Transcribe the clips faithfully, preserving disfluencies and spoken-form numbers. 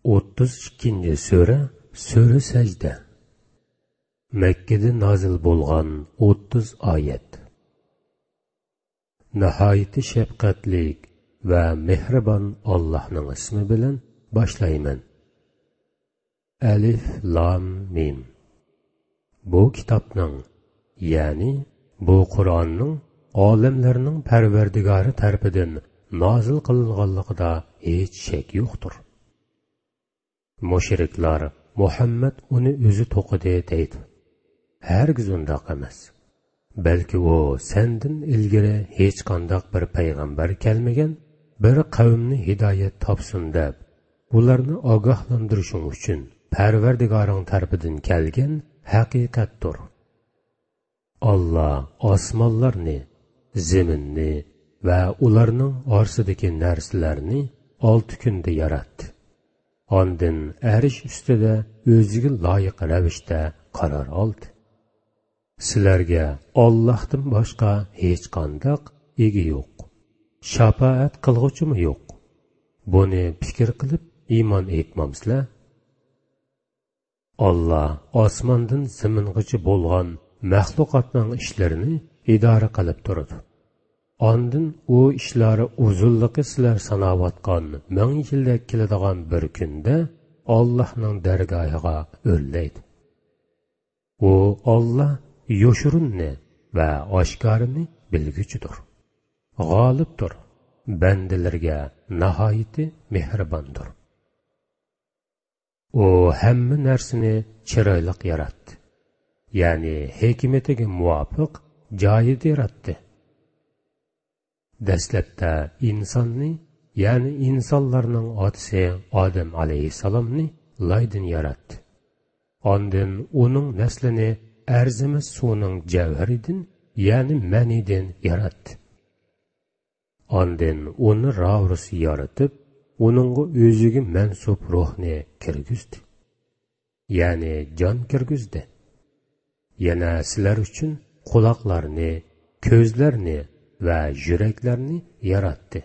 ئوتتۇز ئىككىنچى سۈرە، سۈرە سەجدە. مەككىدە نازىل بولغان ئوتتۇز ئايەت. ناھايىتى شەپقەتلىك ۋە مېھرىبان ئاللاھنىڭ ئىسمى بىلەن باشلايمەن. ئەلىف لام مىم. بۇ كىتابنىڭ، يەنى بۇ قۇرئاننىڭ ئالەملەرنىڭ پەرۋەردىگارى تەرىپىدىن نازىل قىلىنغانلىقىدا ھېچ شەك يوقتۇر. مۇشرىكلار، مۇھەممەد ئۇنى ئۆزى توقۇدى دەيدۇ. ھەرگىز ئۇنداق ئەمەس. بەلكى ئۇ سەندىن ئىلگىرى ھېچقانداق بىر پەيغەمبەر كەلمىگەن بىر قەۋمنى ھىدايەت تاپسۇن دەپ، ئۇلارنى ئاگاھلاندۇرۇشۇڭ ئۈچۈن پەرۋەردىگارىڭ تەرىپىدىن كەلگەن ھەقىقەتتۇر. ئاللا ئاسمانلارنى، زېمىننى ۋە ئۇلارنىڭ ئارىسىدىكى نەرسىلەرنى ئالتە كۈندە ياراتتى. ئاندىن ئەرش ئۈستىدە ئۆزىگە لايىق رەۋىشتە قارار ئالدى. سىلەرگە ئاللاھتىن باشقا ھېچقانداق ئىگە يوق، شاپائەت قىلغۇچىمۇ يوق. بۇنى پىكىر قىلىپ ئىمان ئېيتمامسىلەر؟ ئاللا ئاسماندىن زېمىنغىچە بولغان مەخلۇقاتنىڭ ئىشلىرىنى ئىدارە قىلىپ تۇرىدۇ. ئاندىن ئۇ ئىشلار ئۇزۇنلۇقى سىلەر ساناۋاتقان مىڭ يىلدەك كېلىدىغان بىر كۈندە ئاللاھنىڭ دەرگاھىغا ئۆرلەيدۇ. ئۇ ئاللا يوشۇرۇننى ۋە ئاشكارىنى بىلگۈچىدۇر، غالىبتۇر، بەندىلىرىگە ناھايىتى مېھرىباندۇر. ئۇ ھەممە نەرسىنى چىرايلىق ياراتتى، يەنى ھېكمىتىگە مۇۋاپىق جايىدا ياراتتى. دەسلەپتە ئىنساننى، يەنى ئىنسانلارنىڭ ئاتىسى ئادەم ئەلەيھىسسالامنى لايدىن ياراتتى. ئاندىن ئۇنىڭ نەسلىنى ئەرزىمەس سۇنىڭ جەۋھىرىدىن، يەنى مەنىدىن ياراتتى. ئاندىن ئۇنى راۋۇرۇس يارىتىپ، ئۇنىڭغا ئۆزىگە مەنسۇپ روھنى كىرگۈزدى. يەنى جان كىرگۈزدى. يەنە سىلەر ئۈچۈن قۇلاقلارنى، كۆزلەرنى ۋە يۈرەكلەرنى ياراتتى.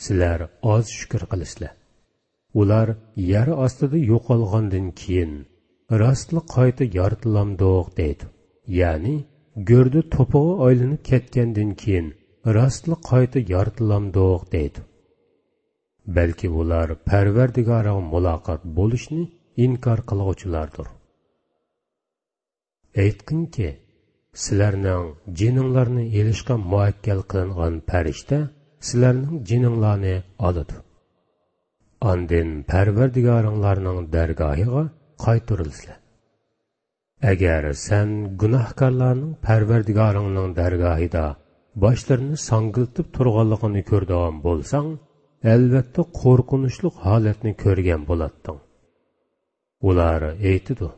سىلەر ئاز شۈكۈر قىلىسىلەر. ئۇلار يەر ئاستىدا يوقالغاندىن كېيىن، راستلا قايتا يارىتىلامدۇق دەيدۇ. يەنى گۆردە توپىغا ئايلىنىپ كەتكەندىن كېيىن، راستلا قايتا يارىتىلامدۇق دەيدۇ. بەلكى ئۇلار پەرۋەردىگارىغا مۇلاقات بولۇشنى ئىنكار قىلغۇچىلاردۇر. ئېيتقىنكى، سىلەرنىڭ جېنىڭلارنى ئېلىشقا مۇئەككەل قىلىنغان پەرىشتە سىلەرنىڭ جېنىڭلارنى ئالىدۇ. ئاندىن پەرۋەردىگارىڭلارنىڭ دەرگاھىغا قايتۇرۇلىسىلەر. ئەگەر سەن گۇناھكارلارنىڭ پەرۋەردىگارىڭنىڭ دەرگاھىدا باشلىرىنى ساڭگىلىتىپ تۇرغانلىقىنى كۆرىدىغان بولساڭ، ئەلۋەتتە قورقۇنچلۇق ھالەتنى كۆرگەن بولاتتىڭ. ئۇلار ئېيتىدۇ: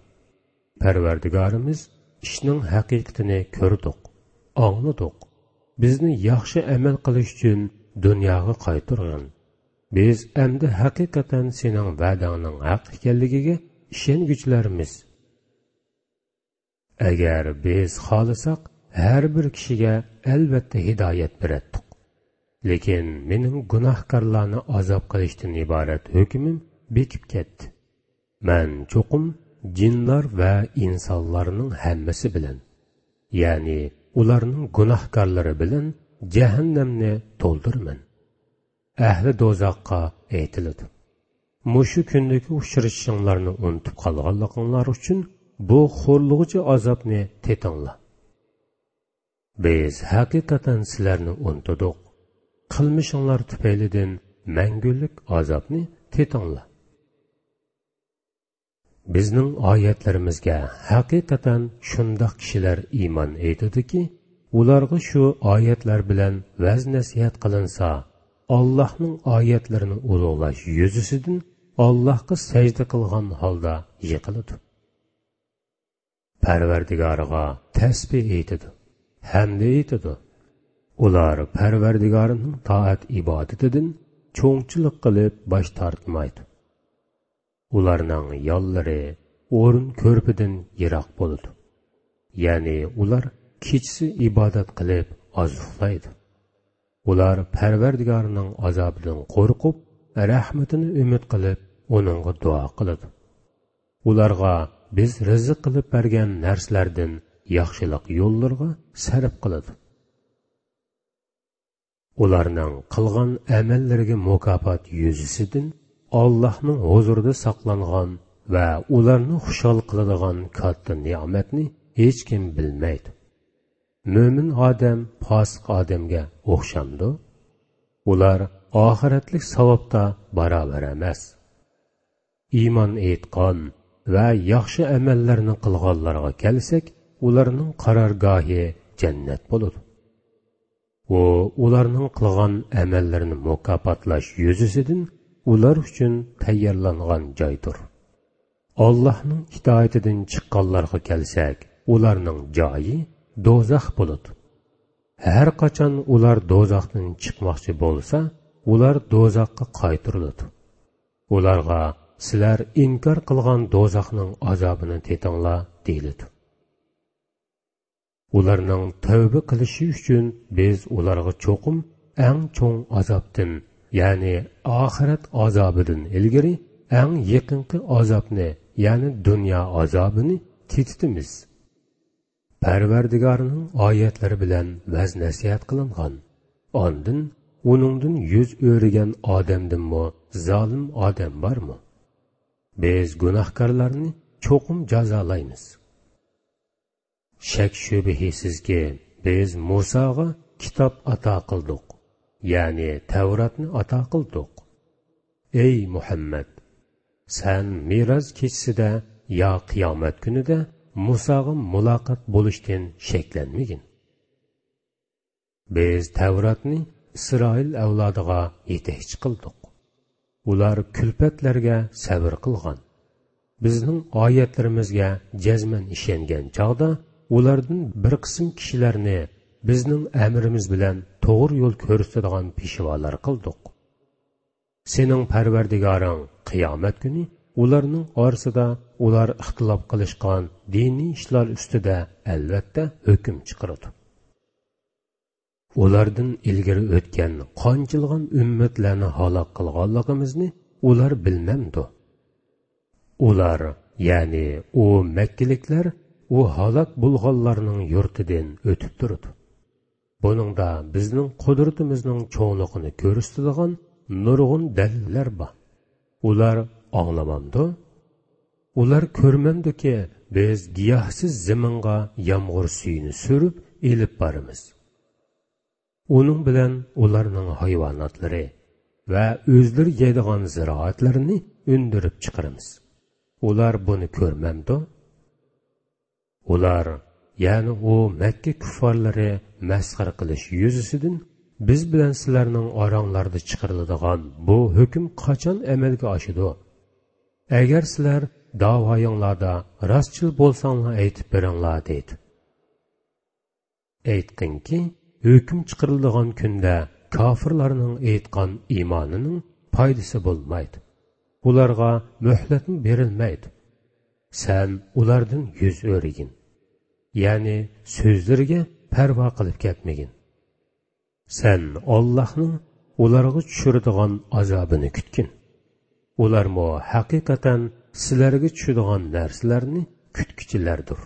پەرۋەردىگارىمىز، ئىشنىڭ ھەقىقىتىنى كۆردۇق، ئاڭلىدۇق. بىزنى ياخشى ئەمەل قىلىش ئۈچۈن دۇنياغا قايتۇرغىن. بىز ئەمدى ھەقىقەتەن سېنىڭ ۋەدەڭنىڭ ھەق ئىكەنلىكىگە ئىشەنگۈچىلەرمىز. ئەگەر بىز خالىساق، ھەر بىر كىشىگە ئەلۋەتتە ھىدايەت بېرەتتۇق. لېكىن مېنىڭ گۇناھكارلارنى ئازاب قىلىشتىن ئىبارەت ھۆكمۈم بېكىپ كەتتى. مەن چوقۇم جىنلار ۋە ئىنسانلارنىڭ ھەممىسى بىلەن، يەنى ئۇلارنىڭ گۇناھكارلىرى بىلەن جەھەننەمنى تولدۇرىمەن. ئەھلى دوزاخقا ئېيتىلىدۇ: مۇشۇ كۈندىكى ئۇچرىشىشىڭلارنى ئۇنتۇپ قالغانلىقىڭلار ئۈچۈن بۇ خورلىغۇچى ئازابنى تېتىڭلار. بىز ھەقىقەتەن سىلەرنى ئۇنتۇدۇق. قىلمىشىڭلار تۈپەيلىدىن مەڭگۈلۈك ئازابنى تېتىڭلار. بىزنىڭ ئايەتلىرىمىزگە ھەقىقەتەن شۇنداق كىشىلەر ئىمان ئېيتىدۇكى، ئۇلارغا شۇ ئايەتلەر بىلەن ۋەز-نەسىھەت قىلىنسا، ئاللاھنىڭ ئايەتلىرىنى ئۇلۇغلاش يۈزىسىدىن ئاللاھقا سەجدە قىلغان ھالدا يىقىلىدۇ. پەرۋەردىگارىغا تەسبىھ ئېيتىدۇ، ھەمدە ئېيتىدۇ. ئۇلار پەرۋەردىگارىنىڭ تائەت-ئىبادىتىدىن چوڭچىلىق قىلىپ باش تارتمايدۇ. ئۇلارنىڭ يانلىرى ئورۇن كۆرپىدىن يىراق بولىدۇ. يەنى ئۇلار كېچىسى ئىبادەت قىلىپ ئاز ئۇخلايدۇ. ئۇلار پەرۋەردىگارىنىڭ ئازابىدىن قورقۇپ، رەھمىتىنى ئۈمىد قىلىپ، ئۇنىڭغا دۇئا قىلىدۇ. ئۇلارغا بىز رىزىق قىلىپ بەرگەن نەرسىلەردىن ياخشىلىق يوللىرىغا سەرپ قىلىدۇ. ئۇلارنىڭ قىلغان ئەمەللىرىگە مۇكاپات يۈزىسىدىن ئاللاھنىڭ ھۇزۇرىدا ساقلانغان ۋە ئۇلارنى خۇشال قىلىدىغان كاتتا نېمەتنى ھېچكىم بىلمەيدۇ. مۆمىن ئادەم پاسىق ئادەمگە ئوخشامدۇ؟ ئۇلار ئاخىرەتلىك ساۋابتا باراۋەر ئەمەس. ئىمان ئېيتقان ۋە ياخشى ئەمەللەرنى قىلغانلارغا كەلسەك، ئۇلارنىڭ قارارگاھى جەننەت بولىدۇ. ئۇ ئۇلارنىڭ قىلغان ئەمەللىرىنى مۇكاپاتلاش يۈزىسىدىن ئۇلار ئۈچۈن تەييارلانغان جايدۇر. ئاللاھنىڭ ئىتائىتىدىن چىققانلارغا كەلسەك، ئۇلارنىڭ جايى دوزاخ بولىدۇ. ھەر قاچان ئۇلار دوزاختىن چىقماقچى بولسا، ئۇلار دوزاخقا قايتۇرۇلىدۇ. ئۇلارغا، «سىلەر ئىنكار قىلغان دوزاخنىڭ ئازابىنى تېتىڭلار» دېيىلىدۇ. ئۇلارنىڭ تەۋبە قىلىشى ئۈچۈن بىز ئۇلارغا چوقۇم ئەڭ چوڭ ئازابتىن، يەنى ئاخىرەت ئازابىدىن ئىلگىرى ئەڭ يېقىنقى ئازابنى، يەنى دۇنيا ئازابىنى تېتىتىمىز. پەرۋەردىگارنىڭ ئايەتلىرى بىلەن ۋەز-نەسىھەت قىلىنغان، ئاندىن ئۇنىڭدىن يۈز ئۆرۈگەن ئادەمدىنمۇ زالىم ئادەم بارمۇ؟ بىز گۇناھكارلارنى چوقۇم جازالايمىز. شەك-شۈبھىسىزكى، بىز مۇساغا كىتاب ئاتا قىلدۇق، يەنى تەۋراتنى ئاتا قىلدۇق. ئەي مۇھەممەد، سەن مىراج كېچىسىدە يا قىيامەت كۈنىدە مۇساغا مۇلاقات بولۇشتىن شەكلەنمىگىن. بىز تەۋراتنى ئىسرائىل ئەۋلادىغا يېتەكچى قىلدۇق. ئۇلار كۈلپەتلەرگە سەۋر قىلغان. بىزنىڭ ئايەتلىرىمىزگە جەزمەن ئىشەنگەن چاغدا، ئۇلاردىن بىر قىسىم كىشىلەرنى بىزنىڭ ئەمرىمىز بىلەن توغرا يول كۆرسىتىدىغان پېشۋالار قىلدۇق. سېنىڭ پەرۋەردىگارىڭ قىيامەت كۈنى ئۇلارنىڭ ئارىسىدا ئۇلار ئىختىلاپ قىلىشقان دىنىي ئىشلار ئۈستىدە ئەلۋەتتە ھۆكۈم چىقىرىدۇ. ئۇلاردىن ئىلگىرى ئۆتكەن قانچىلىغان ئۈممەتلەرنى ھالاك قىلغانلىقىمىزنى ئۇلار بىلمەمدۇ؟ ئۇلار، يەنى ئۇ مەككىلىكلەر ئۇ ھالاك بولغانلارنىڭ يۇرتىدىن ئۆتۈپ تۇرىدۇ. بۇنىڭدا بىزنىڭ قۇدرىتىمىزنىڭ چوڭلۇقىنى كۆرسىتىدىغان نۇرغۇن دەلىللەر بار. ئۇلار ئاڭلىمامدۇ؟ ئۇلار كۆرمەمدۇكى، بىز گىياھسىز زېمىنغا يامغۇر سۈيىنى سۈرۈپ ئېلىپ بارىمىز. ئۇنىڭ بىلەن ئۇلارنىڭ ھايۋاناتلىرى ۋە ئۆزلىرى يەيدىغان زىرائەتلىرىنى ئۈندۈرۈپ چىقىرىمىز. ئۇلار بۇنى كۆرمەمدۇ؟ ئۇلار، يەنى ئۇ مەككە كۇففارلىرى مەسخىرە قىلىش يۈزىسىدىن، «بىز بىلەن سىلەرنىڭ ئاراڭلاردا چىقىرىلىدىغان بۇ ھۆكۈم قاچان ئەمەلگە ئاشىدۇ؟ ئەگەر سىلەر داۋايىڭلاردا راستچىل بولساڭلار ئېيتىپ بېرىڭلار» دەيدۇ. ئېيتقىنكى، ھۆكۈم چىقىرىلىدىغان كۈندە كاپىرلارنىڭ ئېيتقان ئىمانىنىڭ پايدىسى بولمايدۇ. ئۇلارغا مۆھلەتمۇ بېرىلمەيدۇ. سەن ئۇلاردىن يۈز ئۆرۈگىن. يەنى سۆزلىرىگە پەرۋا قىلىپ كەتمىگىن. سەن ئاللاھنىڭ ئۇلارغا چۈشۈرىدىغان ئازابىنى كۈتكىن. ئۇلارمۇ ھەقىقەتەن سىلەرگە چۈشىدىغان نەرسىلەرنى كۈتكۈچىلەردۇر.